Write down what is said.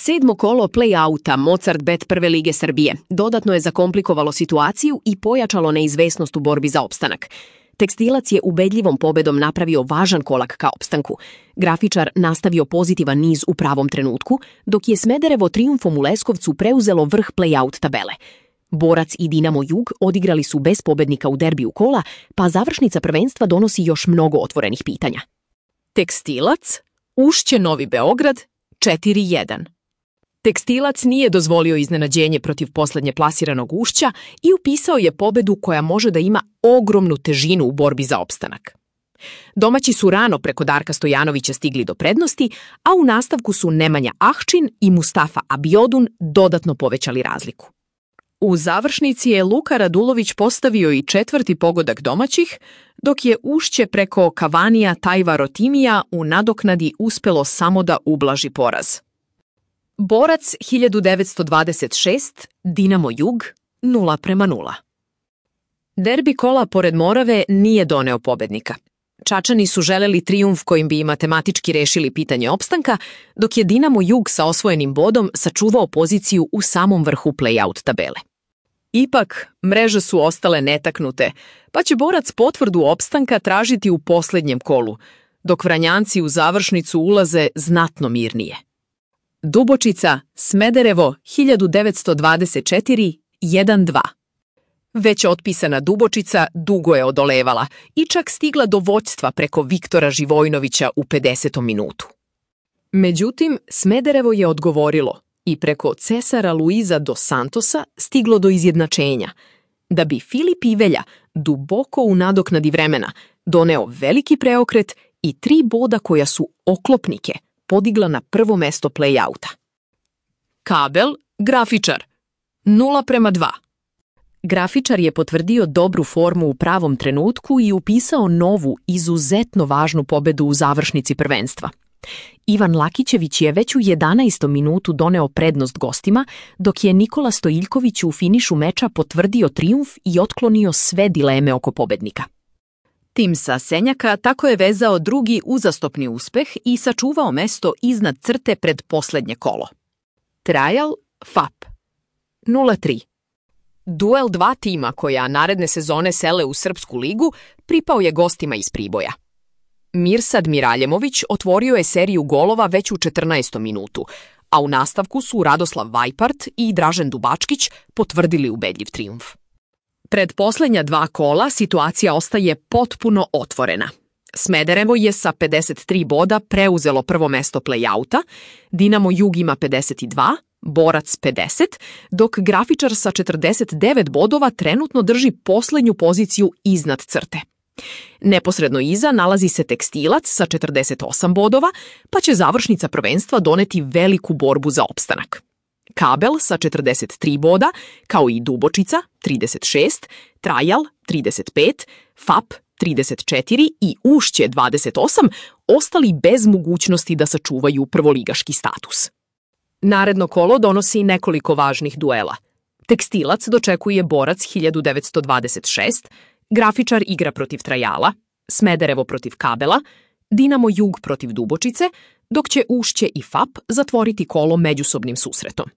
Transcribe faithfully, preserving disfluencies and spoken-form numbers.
Sedmo kolo play-outa Mozart Bet prve lige Srbije dodatno je zakomplikovalo situaciju i pojačalo neizvesnost u borbi za opstanak. Tekstilac je ubedljivom pobedom napravio važan kolak ka opstanku. Grafičar nastavio pozitivan niz u pravom trenutku, dok je Smederevo trijumfom u Leskovcu preuzelo vrh play-out tabele. Borac i Dinamo Jug odigrali su bez pobednika u derbiju kola, pa završnica prvenstva donosi još mnogo otvorenih pitanja. Tekstilac, Ušće Novi Beograd, četiri jedan. Tekstilac nije dozvolio iznenađenje protiv poslednje plasiranog Ušća i upisao je pobedu koja može da ima ogromnu težinu u borbi za opstanak. Domaći su rano preko Darka Stojanovića stigli do prednosti, a u nastavku su Nemanja Ahčin i Mustafa Abiodun dodatno povećali razliku. U završnici je Luka Radulović postavio i četvrti pogodak domaćih, dok je Ušće preko Kavanija Tajva Rotimija u nadoknadi uspelo samo da ublaži poraz. Borac hiljadu devetsto dvadeset šest, Dinamo Jug nula prema nula. Derbi kola pored Morave nije doneo pobednika. Čačani su želeli trijumf kojim bi i matematički rešili pitanje opstanka, dok je Dinamo Jug sa osvojenim bodom sačuvao poziciju u samom vrhu play-out tabele. Ipak, mreže su ostale netaknute, pa će Borac potvrdu opstanka tražiti u posljednjem kolu, dok Vranjanci u završnicu ulaze znatno mirnije. Dubočica, Smederevo, hiljadu devetsto dvadeset četiri, jedan dva. Već otpisana Dubočica dugo je odolevala i čak stigla do vođstva preko Viktora Živojnovića u pedesetom minutu. Međutim, Smederevo je odgovorilo i preko Cesara Luiza dos Santosa stiglo do izjednačenja, da bi Filip Ivelja duboko u nadoknadi vremena doneo veliki preokret i tri boda koja su oklopnike podigla na prvo mesto play-outa. Kabel, Grafičar, nula prema dva. Grafičar je potvrdio dobru formu u pravom trenutku i upisao novu, izuzetno važnu pobedu u završnici prvenstva. Ivan Lakićević je već u jedanaestom minutu doneo prednost gostima, dok je Nikola Stojiljković u finišu meča potvrdio trijumf i otklonio sve dileme oko pobednika. Tim sa Senjaka tako je vezao drugi uzastopni uspeh i sačuvao mesto iznad crte pred poslednje kolo. Trajal, F A P, nula tri. Duel dva tima koja naredne sezone sele u Srpsku ligu pripao je gostima iz Priboja. Mirsad Miraljemović otvorio je seriju golova već u četrnaestom minutu, a u nastavku su Radoslav Vajpart i Dražen Dubačkić potvrdili ubedljiv trijumf. Pred poslednja dva kola situacija ostaje potpuno otvorena. Smederevo je sa pedeset tri boda preuzelo prvo mesto play-outa, Dinamo Jug ima pedeset dva, Borac pedeset, dok Grafičar sa četrdeset devet bodova trenutno drži poslednju poziciju iznad crte. Neposredno iza nalazi se Tekstilac sa četrdeset osam bodova, pa će završnica prvenstva doneti veliku borbu za opstanak. Kabel sa četrdeset tri boda, kao i Dubočica trideset šest, Trajal trideset pet, F A P trideset četiri i Ušće dvadeset osam ostali bez mogućnosti da sačuvaju prvoligaški status. Naredno kolo donosi nekoliko važnih duela. Tekstilac dočekuje Borac hiljadu devetsto dvadeset šest, Grafičar igra protiv Trajala, Smederevo protiv Kabela, Dinamo Jug protiv Dubočice, dok će Ušće i F A P zatvoriti kolo međusobnim susretom.